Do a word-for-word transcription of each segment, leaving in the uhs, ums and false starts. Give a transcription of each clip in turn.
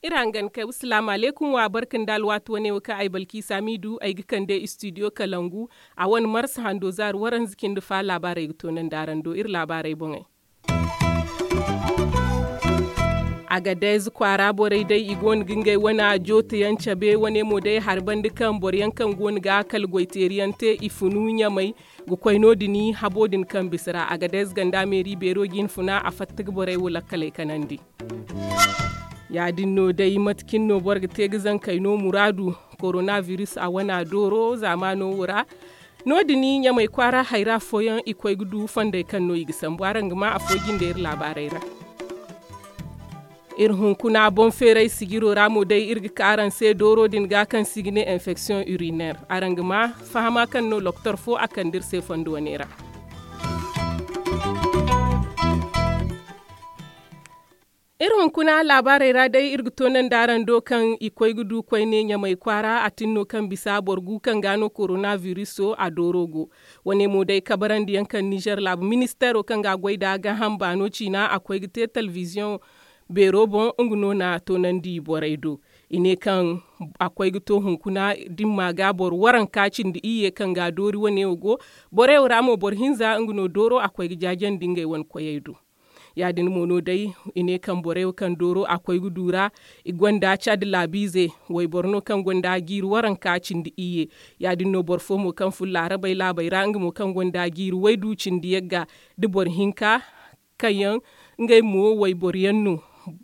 Iri hangan kay wa salaamu alaykum wa barka nda alwaati wane wo kaŋ ay balkiisa miidu ay ga kande istidiyo kalangu. A wane marsa hando zaari waranza cindi fa laabaarey ga toonandi araŋ do iri laabaarey boŋey. Agadez kwaara borey day i go no ga ngey wane jootayaŋ cabe wane mo day hari banda kaŋ boro yaŋ kaŋ go no ga kala goyteeri yaŋ te i funu ɲamay ga koy no- din habo din kaŋ bisa ra agadez ganda meeri beero ga i na funa a fatta ga borey wo lakkaley kanandi. Ya- din no day mate cine no boro ga te ga zankey no muraadu koronabiris a wana dooro zaamaano wo ra. No- din ɲamay kwaara hayra fooyaŋ i koy ga du fondey kaŋ no i ga sambu araŋ ga ma afo jinde iri laabaarey ra. Iri hunkuna boŋ feeray sijiro ra mo day iri ga ka araŋ se dooro din ga kaŋ se i ga ne enfeksiyoŋ uriner araŋ ga ma fahama kaŋ no loktor fo a kande iri se fondo wane ra. Iri hunkuna laabaarey ra day iri ga toonandi araŋ do kaŋ i koy ga du koyne ɲamay kwaara a tin no kaŋ bisa boro gu kaŋ ga no koronabiris a dooro go. Wane mo day kabarandiyaŋ kaŋ nizer laabu ministeero kaŋ ga goy nda gaaham baano ciina a koy ga te telebiziyoŋ beero boŋ nga no na toonandi borey do. I ne kaŋ a koy ga to hunkuna dimma ga boro waranka cindi iyye kaŋ ga doori wane wo go. Borey wo ra mo boro hinza nga no dooro a koy ga jaajandi ngey wane koyey do. Ya- din mo no day i ne kaŋ borey wo kaŋ dooro a koy ga du ra i gonda cadi laabiize wayboro no kaŋ gonda jiiri waranka cindi iyye. Ya- din no boro fo mo kaŋ fun laarabey laabey ra nga mo kaŋ gonda jiiri waydu cindi yagga da boro hinka kaŋ yaŋ ngey mo wayboro yaŋ no.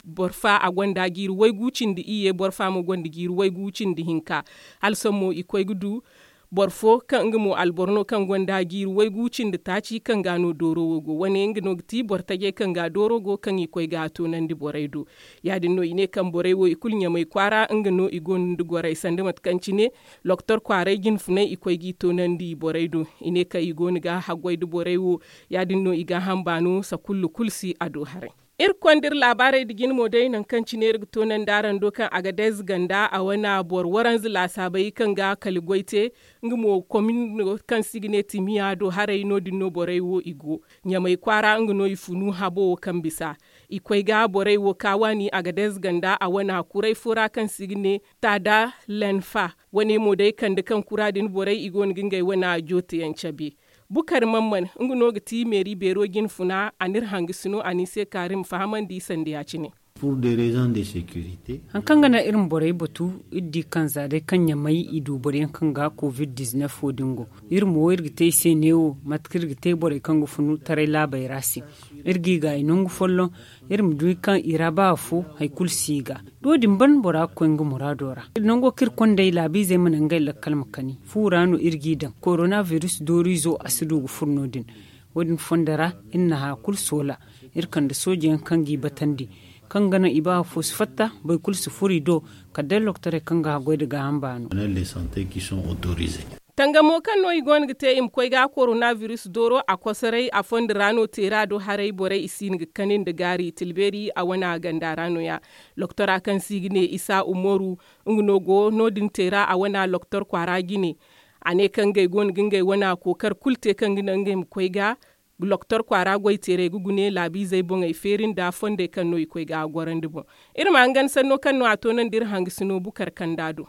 Boro fa a gonda jiiri waygu cindi iyye boro fa mo gonda jiiri waygu cindi hinka. Hala sohõ mo i koy ga du boro fo kaŋ nga mo alboro no kaŋ gonda jiiri waygu cindi taaci kaŋ ga no dooro wo go wane nga no ga ti boro tajey kaŋ ga dooro go kaŋ i koy ga toonandi borey do. Ya- din no i ne kaŋ borey wo i kulu ɲamay kwaara nga no i gonda gorey sanda mate kaŋ cine loktor kwaaray jinfunay i koy g'i toonandi borey do. I ne kaŋ i go no ga haggoy nda borey wo. Ya- din no i gaaham baano sakullu kulu si a do haray. Iri konda iri laabaarey nda jine mo day nangu kaŋ cine iri ga toonandi araŋ do kaŋ agadez ganda a wane boro waranza laasaabey kaŋ ga kala goy te. Nga mo komin no kaŋ se i ga ne timiya do haray no- din no borey wo i go. Ɲamay kwaara nga no i funu habo wo kaŋ bisa i koy ga borey wo ka waani agadez ganda a wane kuray fo ra kaŋ se i ga ne taada lenfa. Wane mo day kande kaŋ kura din borey i go no ga ngey wane jootayaŋ cabe. Bukar mamman nga no ga ti meeri beero jinfuna a n'iri hangasino a n'i se kaari ma fahamandi sanda ya- cine. Hari kaŋ ga naŋ iri ma borey batu iri di kaŋ za day kaŋ ɲamay i du boro yaŋ kaŋ ga covid dizinef wo- din go. Iri mo iri ga te i se neewo mate kaŋ iri ga te borey kaŋ ga funu taray laabey ra se. Iri g'i gaayi nangu folloŋ iri ma du kaŋ i ra ba afo hari kulu si i ga. Do- din ban bora ga koy nga muraado ra. Nango kaŋ iri kondey laabiizey ma naŋ ngey lakkal ma kani fu ra no iri g'i daŋ koronabiris dooriizo a si du ga furo no- din. Wo- din fondo ra iri na haya kulu soola. Iri kande soojeyaŋ kaŋ g'i batandi kaŋ ga naŋ i ba afo si fatta boro kulu si furo i do. Kala day lokotorey kaŋ ga haggoy nda gaaham baano. Tangamo kaŋ no i go no ga te i ma koy ga koronabiris dooro a kosoray a fondo ra no teera do haray borey i si hin ga kani nda gaari tilbeeri a wane ganda ra no- ya. Lokotora kaŋ se i ga ne isa umaru nga no go no- din teera a wane lokotor kwaara jine. A ne kaŋ ngey go no ga ngey wane kookari kulu te kaŋ ga naŋ ngey ma koy ga lokotor kwaara goy teerey ga gune laabiizey boŋey feeri nda fondey kaŋ no i koy ga gorandi boŋ. Iri ma hangan sanno kaŋ no a toonandi iri hangasino bukar kanda do.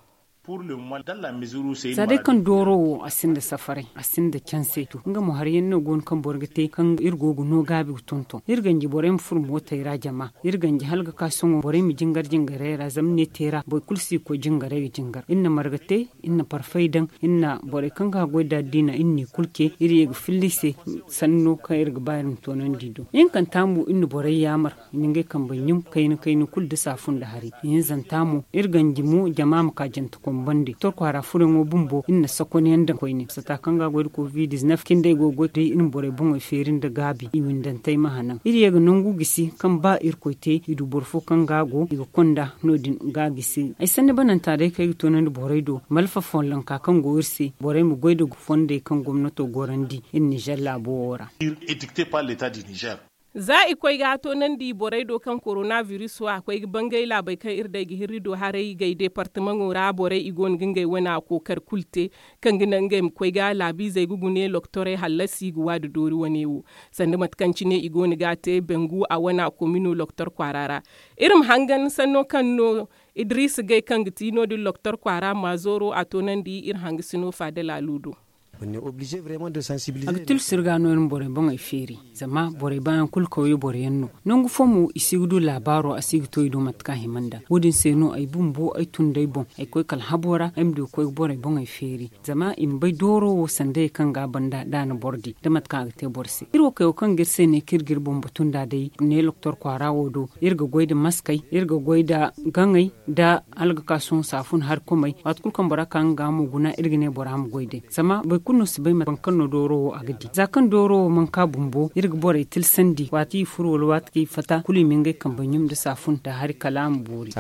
Za day kaŋ dooro wo a sinda safaray a sinda canse to nga mo hari yaŋ no go no kaŋ boro ga te kaŋ iri go ga no gaabi ga tonton iri ganji borey ma furo mootey ra jama. Iri ganji hala ga ka sohõ borey ma jingar jingarey ra zama ne teera boro kulu si ga koy jingarey ga jingar iri na marga te iri na parfay daŋ iri na borey kaŋ ga haggoy nda addiina iri n'i kulu ce iri ye ga filla i se. Sanno kaŋ iri ga ba iri ma toonandi do ihinkanta mo iri na borey yaamar i na ngey kambey ɲum kayna kayna kulu da saafu nda hari. Ihinzanta mo iri ganji mo jama ma ka jante kombandi torkwaara furayaŋo bumbo iri na sakonyaŋ daŋ koyne sata kaŋ ga goy nda covid dizinef cindey go ga goy day iri ma borey boŋey feeri nda gaabi i windantey ma hanan iri ye ga nangu gisi kaŋ ba irkoy te i du boro fo kaŋ ga go i ga konda no- din ga gisi ay sanni bananta day kaŋ ay ga toonandi borey do malfa follonka kaŋ go iri se borey ma goy nda fondey kaŋ gomnato gorandi iri nizer laabo wo ra. Iri etikte par leta di nizer. Za i koy ga toonandi borey do kaŋ korona biris wo a koy ga bangay laabey kaŋ iri day ga hirri do haray gay deepartamaŋo ra borey i go no ga ngey wane a kookari kulu te, kaŋ ga naŋ ngey ma koy ga laabiizey ga gune loktorey hallasi ga waadu doori wane wo. Sanda mate kaŋ cine i go no ga a te bangu a wane a komino loktor kwaara ra. Iri ma hangan sanno kaŋ no idiriisa gay kaŋ ga ti no- din loktor kwaara maazooro a toonandi iri hangasino faada laalu do. A ga tila sirga no iri ma borey boŋey feeri. Zama borey baayaŋ kulu kawye boro yaŋ no. Nangu fo mo i si ga du laabaaro a si ga to i do mate kaŋ a hima nd'a wo- din se no ay bumbo ay tun d'ay boŋ ay koy kala habo ra ay ma du ga koy ga borey boŋey feeri. Zama i ma bay dooro wo sandayey kaŋ ga a banda da a na boro di da mate kaŋ a ga te boro se iri wo kayo kaŋ ga iri se ne kaŋ iri ga iri boŋ batu nd'a day ne loktor kwaara wo do. Iri ga goy nda maskey, iri ga goy nda gaŋey, nda hala ga ka sohõ saafun hari komey. Waati kulu kaŋ bora ka nga mo guna iri ga ne bora ma goy day zama boro kulu no si bay mate kaŋ no dooro wo a ga di za kaŋ dooro wo mana ka bumbo iri ga borey tilsandi waati i furo wala waati kaŋ i fata kulu i ma ngey kambe ɲum nda saafun nda hari kala a ma boori.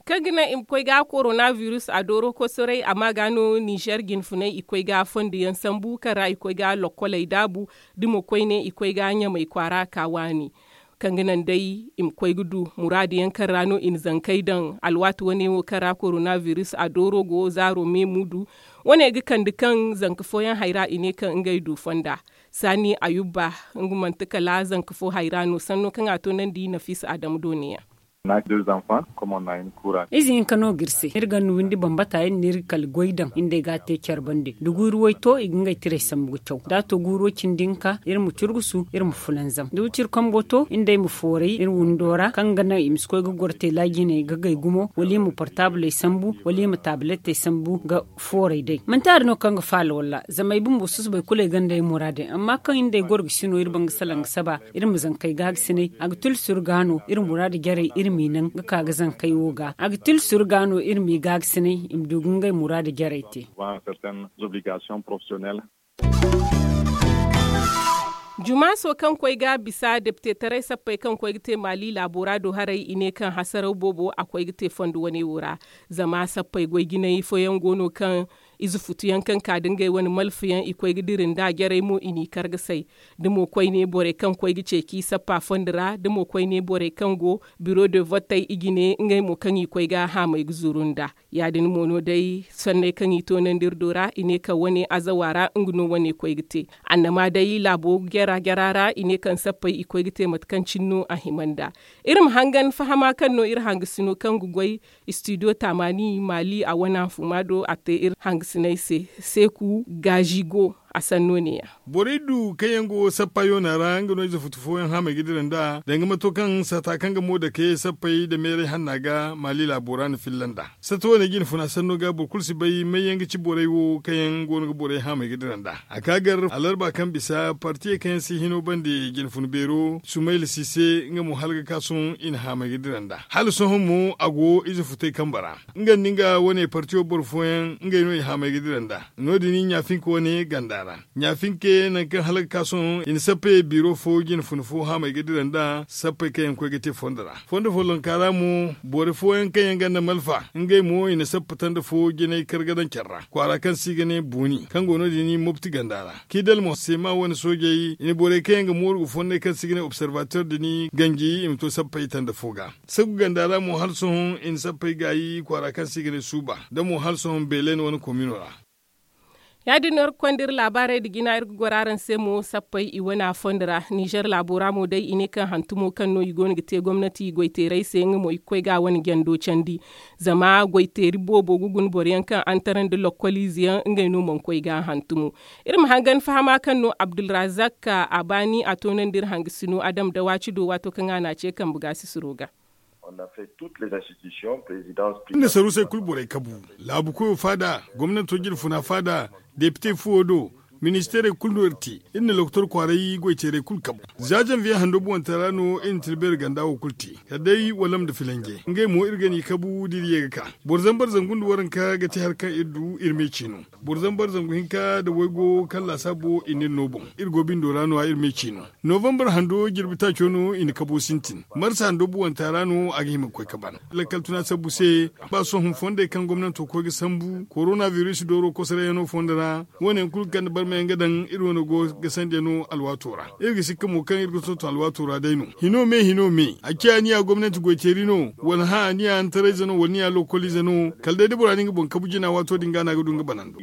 Kaŋ ga naŋ i ma koy ga korona biris a dooro kosoray a ma ga no ninzeer jinfunay i koy ga fondo yaŋ sambu kaŋ ra i koy ga lokkoley daabu. Da mo koyne i koy ga ɲamey kwaara ka waani kaŋ ga naŋ day i ma koy ga du muraadu yaŋ kaŋ ra no i na zankey daŋ alwaati wane wo kaŋ ra korona biris a dooro go zaaro me muudu. Wane ga kande kaŋ zanka fooyaŋ hayra i ne kaŋ ngey du fonda saani ayubba. Nga manti kala zanka fo hayra no sanno kaŋ a toonandi nafiisa adama dooniyaŋ. Ize hinka no ga iri se iri ga ni windi bambata iri na iri kala goy daŋ iri nd'ey ga a te care bande da guuru way to i ga ngey tirey sambu ga caw da a to guuro cindi hinka iri ma curgusu iri ma fulanzam da wiciri kambo to iri nd'ey ma fooray iri windo ra kaŋ ga naŋ i ma si koy ga goro teela jine ga gay gumo wala i ma portaabley sambu wala i ma taabiletey sambu ga fooray day manti hari no kaŋ ga faala walla zama ay bumbo susubay kulu ay gonda ay muraadey amma kaŋ iri nd'ey goro ga si no iri banga salaŋ ga saba iri ma zankey gaagasinay a ga tila suru ga no iri muraadu jarey iri m'i naŋ ga ka ga zankey wo ga a ga tila suru ga no iri m'i gaagasinay i ma du ga ngey muraadu jarey te. Jumaaso kaŋ koy ga bisa deptetaray sappey kaŋ koy ga te maali laabo ra do haray i ne kaŋ hasaraw boobo a koy ga te fondo wane wo ra. Zama sappey goy jinay fooyaŋ go no kaŋ ize futuyaŋ kaŋ ka da ngey wane malfayaŋ i koy ga dira nd'a jarey mo i n'i kar ga say da mo koyne borey kaŋ koy ga ceeci sappa fondo ra da mo koyne borey kaŋ go biro de votey i jine ngey mo kaŋ i koy ga haamey ga zuru nd'a. Ya- din mo no day sanney kaŋ i toonandi iri do ra i ne kaŋ wane azawa ra nga no wane koy ga te. Annama day laabo jara jara ra i ne kaŋ sappey i koy ga te mate kaŋ cine no a hima nd'a. Iri ma hangan fahama kaŋ no iri hangasino kaŋ ga goy istidiyo taamaani maali a wane hanfuma do a te iri hangasiney se seeku gaazi go. A sanno ne- ya. Borey du kaŋ yaŋ go sappa yoona ra nga no ize futu fooyaŋ haamey ga dira nd'a danga mato kaŋ saata kaŋ ga mo dake sappey nda meeray hanna ga maali laabo ra na filla nd'a. Satta wane jinfuna sanno ga boro kulu si bay may yaŋ ga ci borey wo kaŋ yaŋ go no ga borey haamey ga dira nd'a. A ka gar alarba kaŋ bisa partiyey kaŋ yaŋ si hino bande jinfuna beero sumayla si se nga mo hala ga ka sohõ i na haamey ga dira nd'a. Hala sohõ mo a go ize futey kambe ra nga nda nga wane partiyo boro fooyaŋ ngey no i haamey ga dira nd'a. No- din ɲaafinka wane ganda ra ɲaafinka nangu kaŋ hala ga ka sohõ i na sappey biiro fo jinfuna fo haamey ga dira nd'a sappey kaŋ yaŋ koy ga te fondo ra. Fondo follonka ra mo boro fooyaŋ kaŋ yaŋ gonda malfa ngey mo i na sappa tanda fo jinay kar ga daŋ care ra kwaara kaŋ se i ga ne buuni kaŋ go no- din mopti ganda ra. Kidal mo seema wane soojey i na borey kaŋ yaŋ ga mooru ga fonnay kaŋ se i ga ne observateur din ganji i ma to sappey tanda fo ga. Sagu ganda ra mo hala sohõ i na sappey gaayi kwaara kaŋ se i ga ne suuba da mo hala sohõ beelen wane komino ra. Ya- din no iri ga konda iri laabaarey nda jina iri ga goro araŋ se mo sappey i wane a fondo ra ninzeer laabo ra mo day i ne kaŋ hantumo kaŋ no i go no ga te gomnati goyteerey se nga mo i ga koy ga a wane jando candi. Zama goyteeri boobo ga guna boro yaŋ kaŋ antara nda lokkoliize yaŋ ngey no mana koy ga a hantumo. Iri ma hangan fahama kaŋ no abdulrazak a baani a toonandi iri hangasino adam dawaaci do waato kaŋ a n'a ce kambe gaasisiro ga. Iri na saruusey kulu borey kabu, laabu koyo faada, gomnanto jinfuna faada, depite fuwo do, ministeerey kulu no iri te. Iri na lokotor kwaaray goyteerey kulu kabu. Za janviye hando buwanta ra no iri na tilbeeri ganda wo kulu te, kala day walam nda filanje ngey mo iri ga n'i kabu da iri ye ga ka. Boro zambar zangu nda waranka ga te hari kaŋ iri du iri me ciino. Boro zambar zangu hinka nda waygo kaŋ laasaabo i na iri no boŋ, iri go bindo ra no- ya iri me ciino. Novambar hando jirbi taaco no i na kabo sintin. Marsa hando buwanta ra no a ga hima ga koy ka ban. Lakkal tuna sabbu se, ba sohõ fondey kaŋ gomnanto koy ga sambu korona biris dooro kosorayano fondo ra, wo- ne yaŋ kulu ga kande barmay. Nga daŋ iri wane go ga sanda no alwaato ra. Iri ga sikka mo kaŋ iri ga tonton alwaato ra day no. Hino me hino me a ciya ni ya gomnanti goyteeri no, wala hã ni ya hantarayze no wala ni ya lokolize no, kala day da bora na nga boŋ kabu jina waato din ga no a ga du nga banando.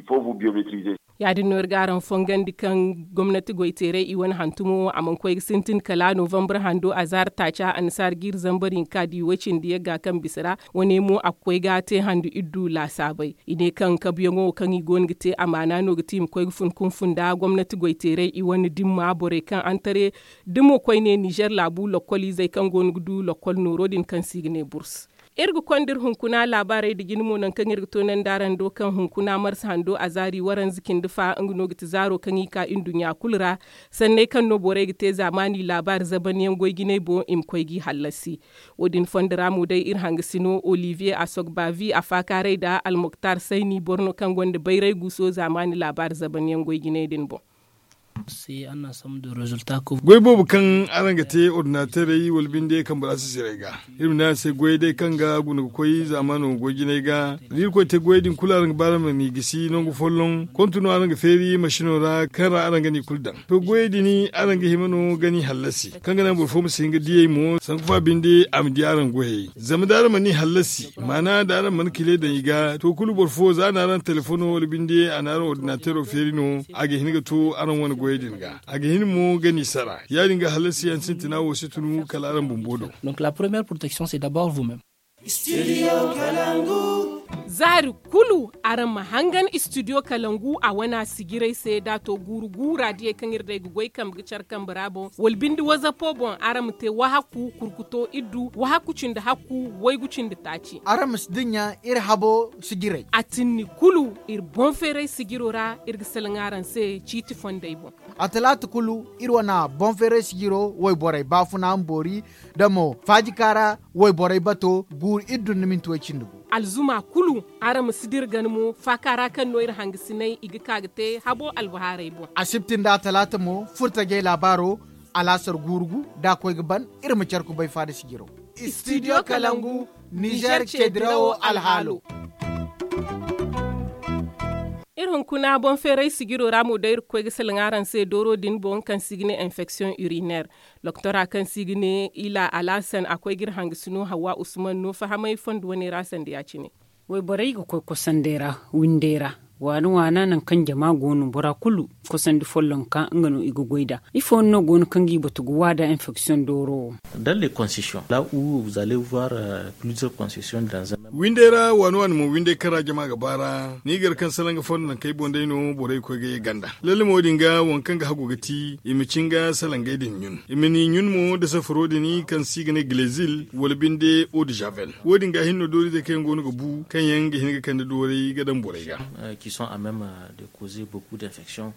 Ya- din no iri ga araŋ fongandi kaŋ gomnanti goyteeray i wane hantumo a mana koy ga sintin kala novambar hando a zaari taaca annasaara ga iri zambar hinka da i way cindi yagga kaŋ bisa ra. Wane mo a ga koy ga te handu iri du laasaabay. I ne kaŋ kabuyaŋo wo kaŋ i go no ga te amaana no ga ti i ma koy ga fun kunfun nda gomnanti goyteeray i wane dimma borey kaŋ antare dimo koyne nizer laabu lokkoliizey kaŋ go no ga du lokkol nooro din kaŋ se i ga ne burs. Iri ga konda iri hunkuna laabaarey nda jine mo nangu kaŋ iri ga toonandi araŋ do kaŋ hunkuna marsa hando a zaari waranza cindi fa nga no ga ti zaaro kaŋ i ka nduɲɲa kulu ra. Sanney kaŋ no borey ga te zaamaani laabaari zaban yaŋ goy jinay boŋ i ma koy g'i hallasi. Wo- din fondo ra mo day iri hangasino olivier asogbavi a faakaaray nda almoktar sayni boro no kaŋ gonda bayray guuso zaamaani laabaari zaban yaŋ goy jinay din boŋ. Goy boobo kaŋ araŋ ga te ordinaterey wala binde kaŋ bora si siray ga, iri ma ne araŋ se goyey day kaŋ ga guna ga koy zaamaano goy jinay ga, da iri koy te goyey din kulu araŋ ga ba araŋ ma n'i gisi nangu folloŋ kontu no araŋ ga feeri masino ra kaŋ ra araŋ ga n'i kulu daŋ. To goyey din araŋ ga hima no ga n'i hallasi kaŋ ga naŋ boro fo ma si hin ga diyey mo sanku fa binde a ma di araŋ goyey. Zama da araŋ mana i hallasi maana da araŋ mana kile daŋ i ga to kulu boro fo za a na araŋ telefono wala binde a na araŋ ordinatero feeri no. A ga hin ga to araŋ wane goyey din ga a ga hin mo ga n'i sara ya- din ga hallasi yaŋ sintina wo si tunu kala araŋ bumbo do. Zaari kulu araŋ ma hangan istidiyo kalangu a wana sijiray se da a to guuru guura diyey kaŋ iri day ga goy kambe ga care kambe ra boŋ wala binde wazapo boŋ araŋ ma te wahakku kurkuto iddu wahakku cindi hakku waygu cindi taaci. Araŋ ma si dinya iri habo sijiray a tinni kulu iri boŋ feeray sijiro ra. Iri ga salaŋ araŋ se ciiti fondey boŋ. A talaata kulu iri wana boŋ feeray sijiro wayborey baafuna ma boori da mo faajika ra wayborey bato guuru iddu nda minti way cindi gu. Alzuma kulu araŋ ma si dira gana mo faaka ra kaŋ no iri hangasinay i ga ka ga te habo albahaarey boŋ. Asibti nda talaata mo furtajey laabaaro alaasar guuru gu da a koy ga ban. Iri ma care kubay faada sijiro. Studio kalangu nizer ce dirawo alhaalo. Iri hunkuna boŋ feeray sijiro ra mo day iri ga koy ga salaŋ araŋ se dooro din boŋ kaŋ se i ga ne infection urinaire. Doktora kaŋ se i ga ne ila alhasan a koy ga iri hangasino hawa usman no fahamay fondo wane ra sanda ya-cine. Wayborey ga koy kosandey ra windey ra waana waana nangu kaŋ jama go no bora kulu kosandi follonka nga no i ga goy nd'a. Ifo no go no kaŋ ga i batu ga wa nd'a infection dooro wo? Dans les concessions là où vous allez voir plusieurs concessions dans un même. Windey ra waana waana mo windey kaŋ ra jama ga baara ni gar kaŋ salaŋ ga fondo nangu kaŋ ay boŋ day no borey ga koy ga ye ganda lalle mo wo- din ga waŋ kaŋ ga hagu ga ti i ma cin ga salaŋ gay din ɲun i ma ni ɲun mo nda safaro din kaŋ se i ga ne glezil wala binde eau de javel. Wo- din ga hinne no dooriizey kaŋ yaŋ go no ga bu kaŋ yaŋ ga hin ga kande dooray ga daŋ borey ga. Qui sont à même de causer beaucoup d'infections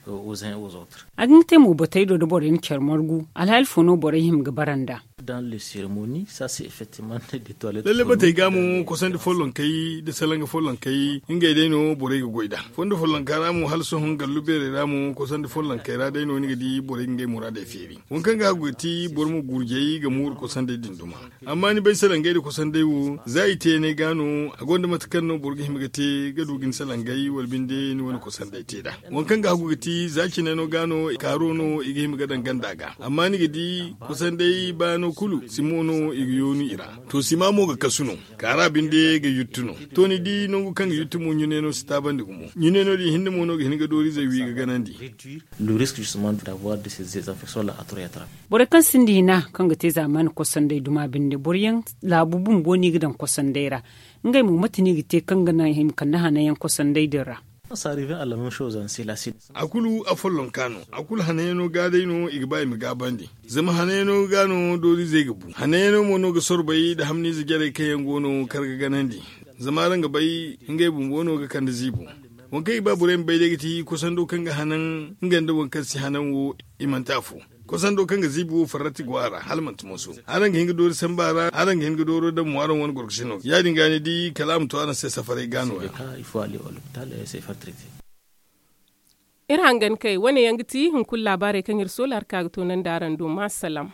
aux uns et aux autres. A ga hin ga te mo batey do da borey na care margu alhaali fo no borey hima ga bara nd'a? Dans les cérémonies ça c'est effectivement des toilettes lalle batey ga mo kosandi follonkey da salanga follonkey ngey day no borey ga goy nd'a. Fondo follonka ra mo hala sohõ gallu beerey ra mo kosandi follonkey ra day no ni ga di borey ga ngey muraadey feeri. Waŋ kaŋ ga hagu ga ti boro ma gurjey ga mooru kosandey din duma. Amma ni bay salangey nda kosandey wo za i te yaŋey ga no a gonda mate kaŋ no boro ga hima ga te ga du ga ni salangey wala binde ni wane kosandey te nd'a. Waŋ kaŋ ga hagu ga ti za cine no ga no kaaro no i ga hima ga daŋ ganda ga amma ni ga di kosandey baano kulu simo no i ga yoonu i ra. To sima mo ga kasu no kaara binde ga yuttu no. To ni di nangu kaŋ ga yuttu mo ɲune no si taabandi gumo ɲune no din hinne mo no ga hin ga dooriizey wi ga ganandi. Le risque justement d'avoir de ces infections là à trop être. Borey kaŋ sinda hina kaŋ ga te zaamaani kosandey duma binde boro yaŋ laabu bumbo no i ga daŋ kosandey ra. Ngey mo mate no i ga te kaŋ ga naŋ i ma kande hananyaŋ kosandey din ra? A kulu afollonka no a kulu hananyaŋo ga day no i ga ba i ma gaabandi. Zama hananyaŋo ga no dooriizey ga bu hananyaŋo mo no ga sorbay nda hamniize jarey kaŋ yaŋ go no kar ga ganandi. Zama araŋ ga bay ngey bumbo no ga kande ziibo. Waŋ kaŋ i ga ba borey ma bay day ga ti kosando kaŋ ga hanan nga nda waŋ kaŋ si hanan wo. I manti afo kosando kaŋ ga ziibi wo farrati go a ra hala manti moso. Araŋ ga hin ga doori samba ra araŋ ga hin ga dooro daŋ mo araŋ wane gorkosino ya- din ga ni di kala a ma to araŋ se safaray ga no-ya. Iri hangan kay wane yaŋ ga ti hunkuna laabaarey kaŋ iri soola hari ka ga toonandi araŋ do ma salaam.